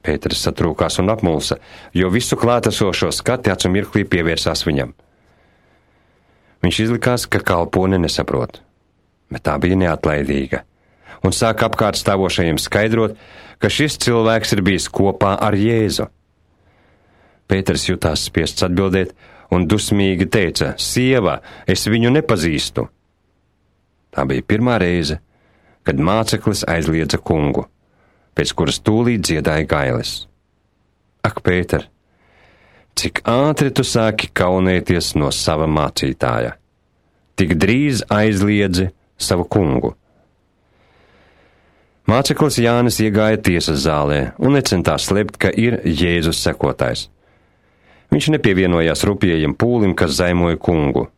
Pēteris satrūkās un apmulsa, jo visu klātesošo skati acu mirklī pievērsās viņam. Viņš izlikās, ka kalpone nesaprot, bet tā bija neatlaidīga, un sāka apkārt stāvošajiem skaidrot, ka šis cilvēks ir bijis kopā ar Jēzu. Pēteris jutās spiests atbildēt un dusmīgi teica: sieva, es viņu nepazīstu. Tā bija pirmā reize, kad māceklis aizliedza kungu, pēc kuras tūlīt dziedāja gailes. Ak, Pēter, cik ātri tu sāki kaunēties no sava mācītāja, tik drīz aizliedzi savu kungu. Māceklis Jānis iegāja tiesas zālē un necentās slēpt, ka ir Jēzus sekotājs. Viņš nepievienojās rupjajam pūlim, kas zaimoja kungu.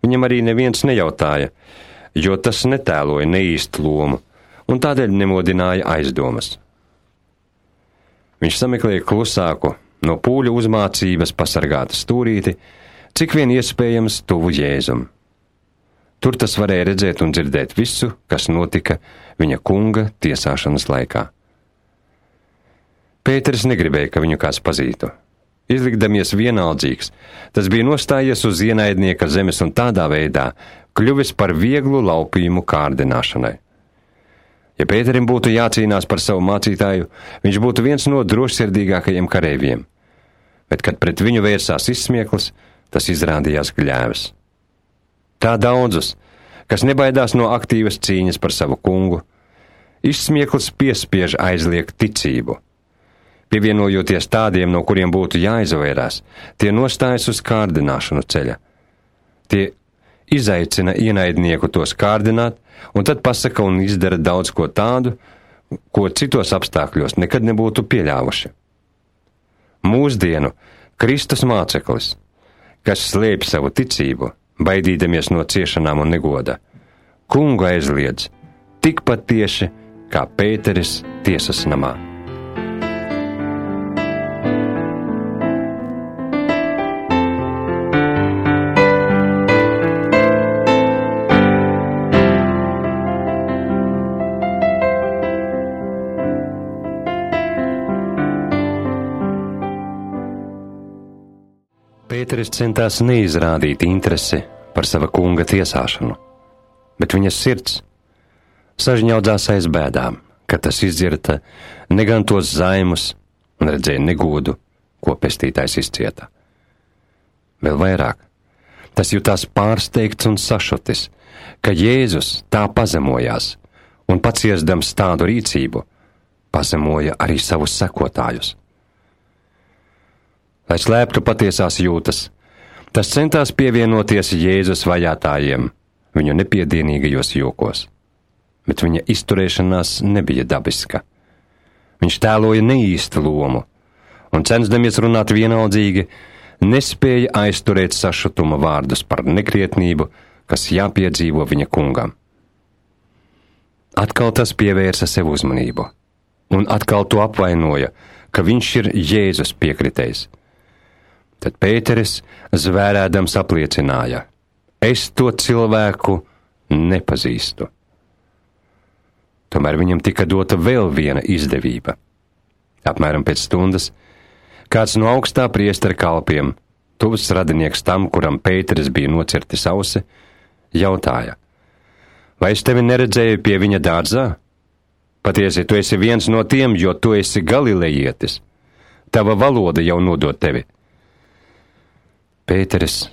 Viņam arī neviens nejautāja, jo tas netēloja neīstu lomu, un tādēļ nemodināja aizdomas. Viņš sameklēja klusāku, no pūļu uzmācības pasargātu stūrīti, cik vien iespējams tuvu Jēzum. Tur tas varēja redzēt un dzirdēt visu, kas notika viņa kunga tiesāšanas laikā. Pēteris negribēja, ka viņu kāds pazītu. Izlikdamies vienaldzīgs, tas bija nostājies uz ienaidnieka zemes un tādā veidā kļuvis par vieglu laupījumu kārdināšanai. Ja Pēterim būtu jācīnās par savu mācītāju, viņš būtu viens no drošsirdīgākajiem kareiviem, bet, kad pret viņu vērsās izsmieklis, tas izrādījās gļēvs. Tā daudzus, kas nebaidās no aktīvas cīņas par savu kungu, izsmieklis piespiež aizliegt ticību. Pievienojoties tādiem, no kuriem būtu jāizvairās, tie nostājas uz kārdināšanu ceļa. Tie izaicina ienaidnieku tos kārdināt, un tad pasaka un izdara daudz ko tādu, ko citos apstākļos nekad nebūtu pieļāvuši. Mūsdienu Kristus māceklis, kas slēpj savu ticību, baidīdamies no ciešanām un negoda, kungu aizliedz tikpat tieši kā Pēteris tiesas namā. Pēteris centās neizrādīt interesi par sava kunga tiesāšanu, bet viņas sirds sažņaudzās aiz bēdām, kad tas izdzirta negan tos zaimus un redzēja negodu, ko pestītājs izcieta. Vēl vairāk, tas jutās pārsteigts un sašutis, ka Jēzus tā pazemojās un paciesdams tādu rīcību, pazemoja arī savus sekotājus. Lai slēptu patiesās jūtas, tas centās pievienoties Jēzus vajātājiem viņu nepiedienīgajos jokos, bet viņa izturēšanās nebija dabiska. Viņš tēloja neīstu lomu, un censdamies runāt vienaldzīgi, nespēja aizturēt sašutuma vārdus par nekrietnību, kas jāpiedzīvo viņa kungam. Atkal tas pievērsa sev uzmanību, un atkal to apvainoja, ka viņš ir Jēzus piekritējs. Tad Pēteris zvērēdams apliecināja: es to cilvēku nepazīstu. Tomēr viņam tika dota vēl viena izdevība. Apmēram pēc stundas kāds no augstā priestera kalpiem, tuvs radinieks tam, kuram Pēteris bija nocirtis ausi, jautāja: vai es tevi neredzēju pie viņa dārzā? Patiesi, tu esi viens no tiem, jo tu esi galilejietis. Tava valoda jau nodod tevi. Pēteris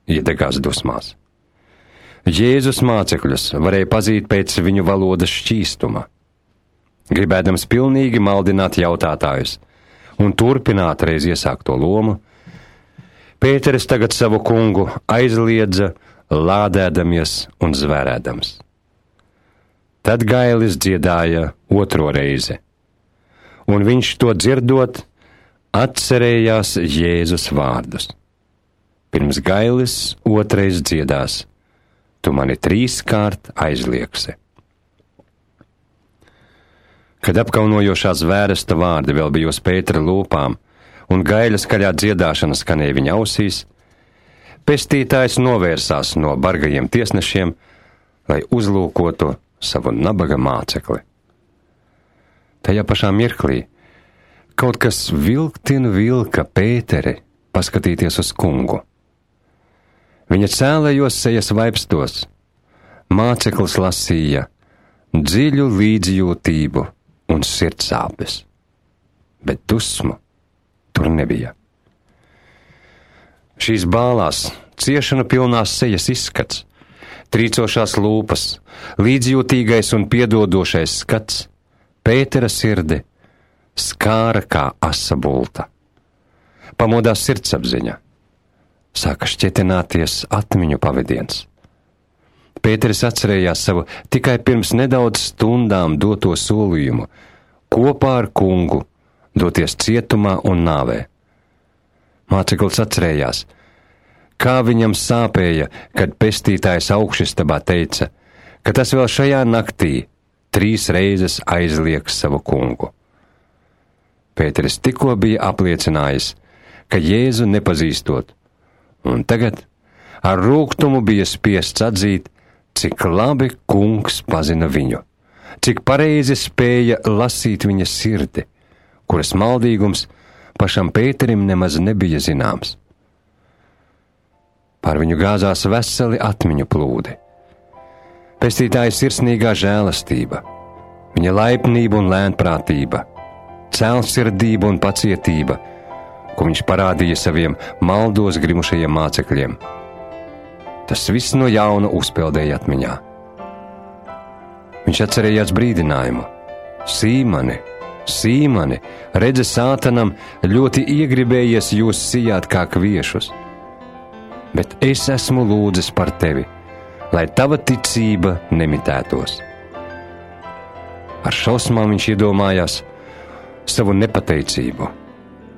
iedegās dusmās. Jēzus mācekļus varēja pazīt pēc viņu valodas šķīstuma. Gribēdams pilnīgi maldināt jautātājus un turpināt reiz iesākto lomu, Pēteris tagad savu kungu aizliedza, lādēdamies un zvērēdams. Tad gailis dziedāja otro reizi, un viņš to dzirdot, atcerējās Jēzus vārdus. Pirms gailis otrais dziedās: tu mani trīskārt aizliegsi. Kad apkaunojošā zvēresta vārdi vēl bija uz Pētera lūpām un gaļa skaļā dziedāšana skanēja viņa ausīs, pestītājs novērsās no bargajiem tiesnešiem, lai uzlūkotu savu nabaga mācekli. Tajā pašā mirklī kaut kas vilktin vilka Pēteri paskatīties uz kungu. Viņa cēlējos sejas vaipstos, māceklis lasīja dziļu līdzjūtību un sirdsāpes, bet dusmu tur nebija. Šīs bālās, ciešanu pilnās sejas izskats, trīcošās lūpas, līdzjūtīgais un piedodošais skats Pētera sirdi skāra kā asa bulta. Pamodās sirdsapziņa, sāka šķietināties atmiņu pavadiens. Pēteris atcerējās savu tikai pirms nedaudz stundām doto solījumu kopā ar kungu doties cietumā un nāvē. Māceklis atcerējās, kā viņam sāpēja, kad pestītājs augšistabā teica, ka tas vēl šajā naktī trīs reizes aizliegs savu kungu. Pēteris tikko bija apliecinājis, ka Jēzu nepazīstot, un tagad ar rūgtumu bija spiests atzīt, cik labi kungs pazina viņu, cik pareizi spēja lasīt viņa sirdi, kuras maldīgums pašam Pēterim nemaz nebija zināms. Pār viņu gāzās veseli atmiņu plūdi. Pestītāja sirsnīgā žēlastība, viņa laipnība un lēnprātība, cēlsirdība un pacietība, ko viņš parādīja saviem maldos grimušajiem mācekļiem. Tas viss no jauna uzpeldēja atmiņā. Viņš atcerējās brīdinājumu: Sīmani, Sīmani, redzi, sātanam ļoti iegribējies jūs sijāt kā kviešus, bet es esmu lūdzis par tevi, lai tava ticība nemitētos. Ar šausmām viņš iedomājās savu nepateicību,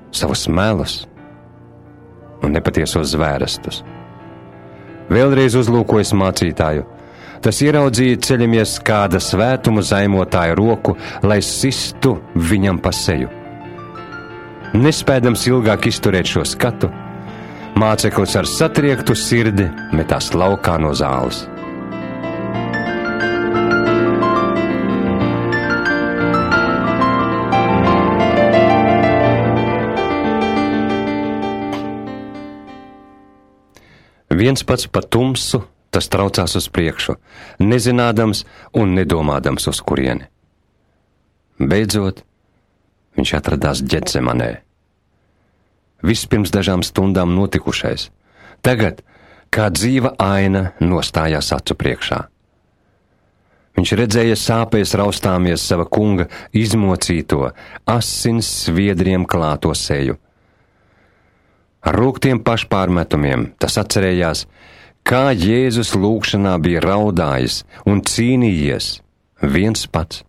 savus melus un nepatiesos zvērestus. Vēlreiz uzlūkojas mācītāju, tas ieraudzīja ceļamies kāda svētumu zaimotāja roku, lai sistu viņam pa seju. Nespēdams ilgāk izturēt šo skatu, māceklis ar satriektu sirdi metās laukā no zāles. Viens pats pa tumsu, tas traucās uz priekšu, nezinādams un nedomādams uz kurieni. Beidzot, viņš atradās Ģetsemanē. Viss pirms dažām stundām notikušais, tagad kā dzīva aina nostājās acu priekšā. Viņš redzēja sāpēs raustāmies sava kunga izmocīto, asins sviedriem klāto seju. Ar rūgtiem pašpārmetumiem tas atcerējās, kā Jēzus lūgšanā bija raudājis un cīnījies viens pats,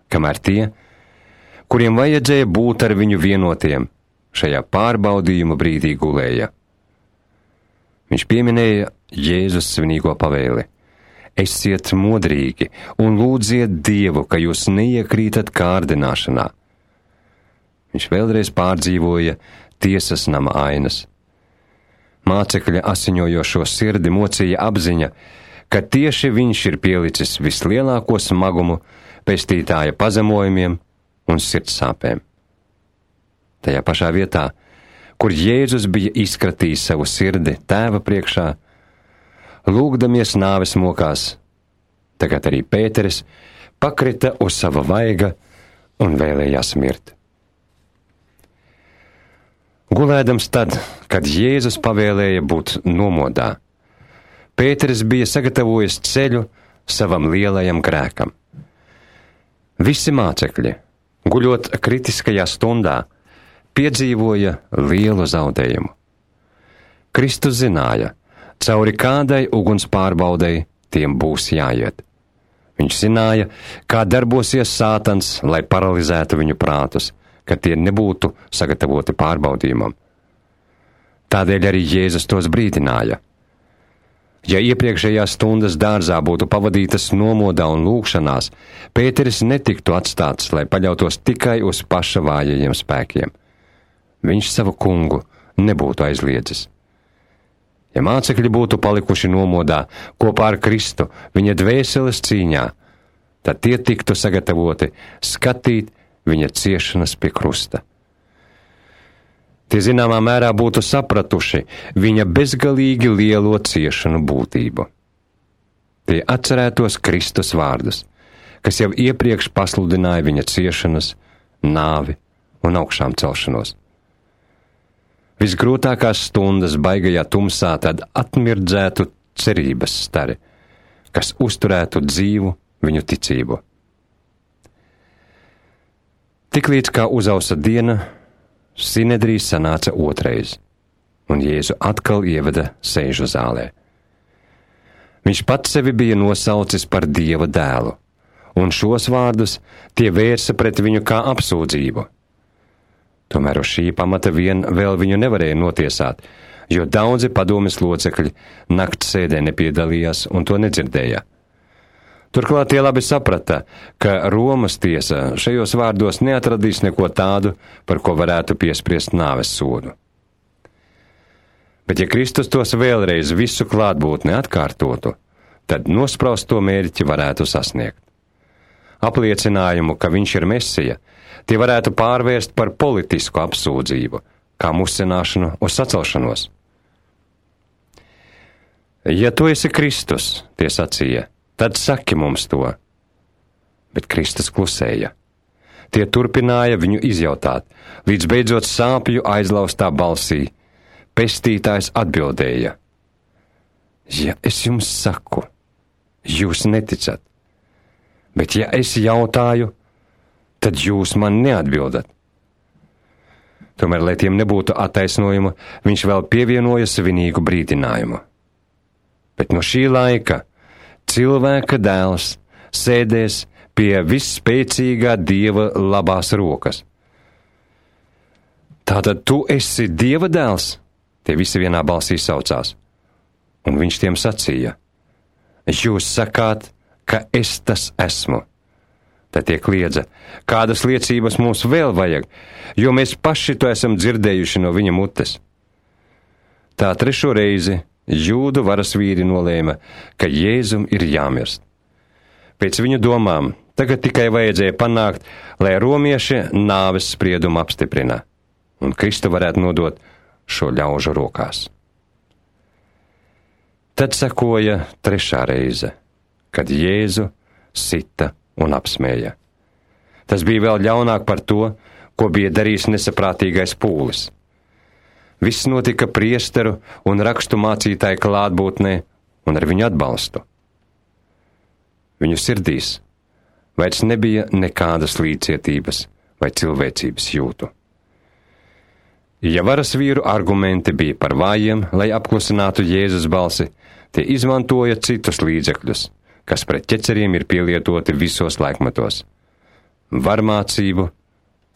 kamēr tie, kuriem vajadzēja būt ar viņu vienotiem, šajā pārbaudījuma brīdī gulēja. Viņš pieminēja Jēzus svinīgo pavēli: esiet modrīgi un lūdziet Dievu, ka jūs neiekrītat kārdināšanā. Viņš vēlreiz pārdzīvoja tiesas nama ainas, Mācekļa asiņojošo sirdi mocīja apziņa, ka tieši viņš ir pielicis vislielāko smagumu pestītāja pazemojumiem un sirdsāpēm. Tajā pašā vietā, kur Jēzus bija izkratījis savu sirdi Tēva priekšā, lūgdamies nāves mokās, tagad arī Pēteris pakrita uz sava vaiga un vēlējās mirt. Gulēdams tad, kad Jēzus pavēlēja būt nomodā, Pēteris bija sagatavojis ceļu savam lielajam grēkam. Visi mācekļi, guļot kritiskajā stundā, piedzīvoja lielu zaudējumu. Kristus zināja, cauri kādai uguns pārbaudei tiem būs jāiet. Viņš zināja, kā darbosies Sātans, lai paralizētu viņu prātus, ka tie nebūtu sagatavoti pārbaudījumam. Tādēļ arī Jēzus tos brīdināja. Ja iepriekšējās stundas dārzā būtu pavadītas nomodā un lūgšanās, Pēteris netiktu atstāts, lai paļautos tikai uz paša vājajiem spēkiem. Viņš savu kungu nebūtu aizliedzis. Ja mācekļi būtu palikuši nomodā kopā ar Kristu viņa dvēseles cīņā, tad tie tiktu sagatavoti skatīt viņa ciešanas pie krusta. Tie zināmā mērā būtu sapratuši viņa bezgalīgi lielo ciešanu būtību. Tie atcerētos Kristus vārdus, kas jau iepriekš pasludināja viņa ciešanas, nāvi un augšām celšanos. Visgrūtākās stundas baigajā tumsā tad atmirdzētu cerības stari, kas uzturētu dzīvu viņu ticību. Tiklīdz kā uzausa diena, Sinedrijs sanāca otrais, un Jēzu atkal ieveda sēžu zālē. Viņš pats sevi bija nosaucis par Dieva dēlu, un šos vārdus tie vērsa pret viņu kā apsūdzību. Tomēr uz šī pamata vien vēl viņu nevarēja notiesāt, jo daudzi padomes locekļi nakts sēdē nepiedalījās un to nedzirdēja. Turklāt tie labi saprata, ka Romas tiesa šajos vārdos neatradīs neko tādu, par ko varētu piespriest nāves sodu. Bet ja Kristus tos vēlreiz visu klātbūtni atkārtotu, tad nosprausto mērķi varētu sasniegt. Apliecinājumu, ka viņš ir Mesija, tie varētu pārvērst par politisku apsūdzību, kā musināšanu uz sacelšanos. Ja tu esi Kristus, tie sacīja, tad saki mums to. Bet Kristus klusēja. Tie turpināja viņu izjautāt, līdz beidzot sāpju aizlaustā balsī. Pestītājs atbildēja: ja es jums saku, jūs neticat, bet ja es jautāju, tad jūs man neatbildat. Tomēr, lai tiem nebūtu attaisnojuma, viņš vēl pievienoja svinīgu brīdinājumu. Bet no šī laika cilvēka dēls sēdēs pie visspēcīgā Dieva labās rokas. Tātad tu esi Dieva dēls? Tie visi vienā balsī saucās. Un viņš tiem sacīja: jūs sakāt, ka es tas esmu. Tad tie kliedza: kādas liecības mums vēl vajag, jo mēs paši to esam dzirdējuši no viņa mutes. Tā trešo reizi Jūdu varas vīri nolēma, ka Jēzum ir jāmirst. Pēc viņu domām tagad tikai vajadzēja panākt, lai romieši nāves spriedumu apstiprina, un Kristu varētu nodot šo ļaužu rokās. Tad sekoja trešā reize, kad Jēzu sita un apsmēja. Tas bija vēl ļaunāk par to, ko bija darījis nesaprātīgais pūlis. Viss notika priesteru un rakstu mācītāju klātbūtnē un ar viņu atbalstu. Viņu sirdīs vairs nebija nekādas līdzcietības vai cilvēcības jūtu. Ja varas vīru argumenti bija par vājiem, lai apklusinātu Jēzus balsi, tie izmantoja citus līdzekļus, kas pret ķeceriem ir pielietoti visos laikmetos – varmācību,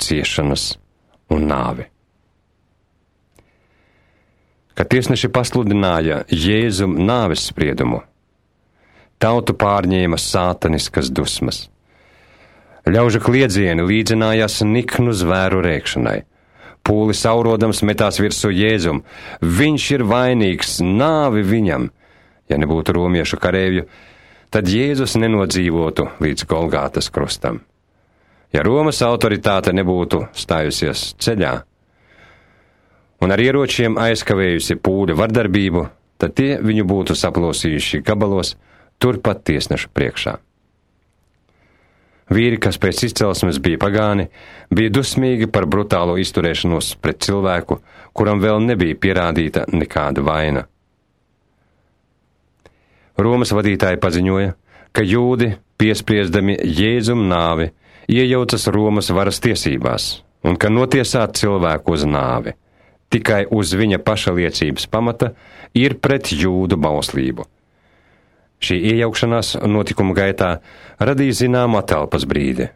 ciešanas un nāvi. Kad tiesneši pasludināja Jēzum nāves spriedumu, tautu pārņēma sātaniskas dusmas. Ļaužu kliedzieni līdzinājās niknu zvēru rēkšanai, Pūli saurodams metās virsū Jēzum. Viņš ir vainīgs, nāvi viņam. Ja nebūtu romiešu kareivju, tad Jēzus nenodzīvotu līdz Golgātas krustam. Ja Romas autoritāte nebūtu stājusies ceļā un ar ieročiem aizkavējusi pūļu vardarbību, tad tie viņu būtu saplosījuši gabalos turpat tiesnešu priekšā. Vīri, kas pēc izcelsmes bija pagāni, bija dusmīgi par brutālo izturēšanos pret cilvēku, kuram vēl nebija pierādīta nekāda vaina. Romas vadītāji paziņoja, ka jūdi, piespriedami Jēzum nāvi, iejaucas Romas varas tiesībās un ka notiesāt cilvēku uz nāvi tikai uz viņa paša liecības pamata ir pret jūdu bauslību. Šī iejaukšanās notikuma gaitā radīja zināmu atelpas brīdi,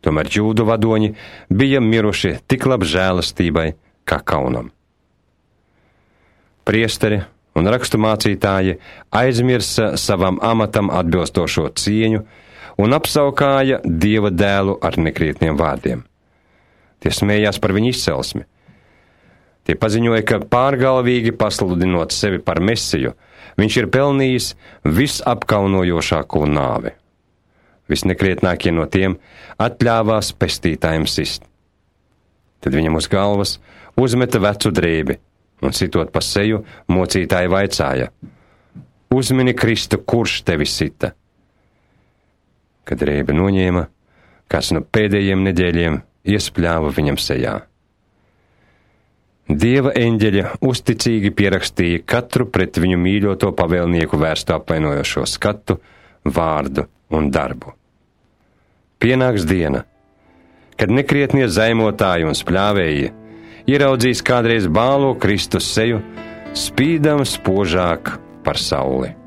tomēr jūdu vadoņi bija miruši tik lab žēlastībai kā kaunam. Priesteri un rakstu mācītāji aizmirsa savam amatam atbilstošo cieņu un apsaukāja Dieva dēlu ar nekrietniem vārdiem. Tie smējās par viņu izcelsmi. Tie paziņoja, ka pārgalvīgi pasludinot sevi par Mesiju, viņš ir pelnījis visapkaunojošāko nāvi. Visnekrietnākie no tiem atļāvās pestītājiem sist. Tad viņam uz galvas uzmeta vecu drēbi un sitot pa seju, mocītāji vaicāja: Uzmini Kristu, kurš tevi sita? Kad drēbi noņēma, kāds no pēdējiem neģēļiem iespļāva viņam sejā. Dieva eņģeļa uzticīgi pierakstīja katru pret viņu mīļoto pavēlnieku vērstu apvainojošo skatu, vārdu un darbu. Pienāks diena, kad nekrietnie zaimotāji un spļāvēji ieraudzīs kādreiz bālo Kristus seju, spīdam spožāk par sauli.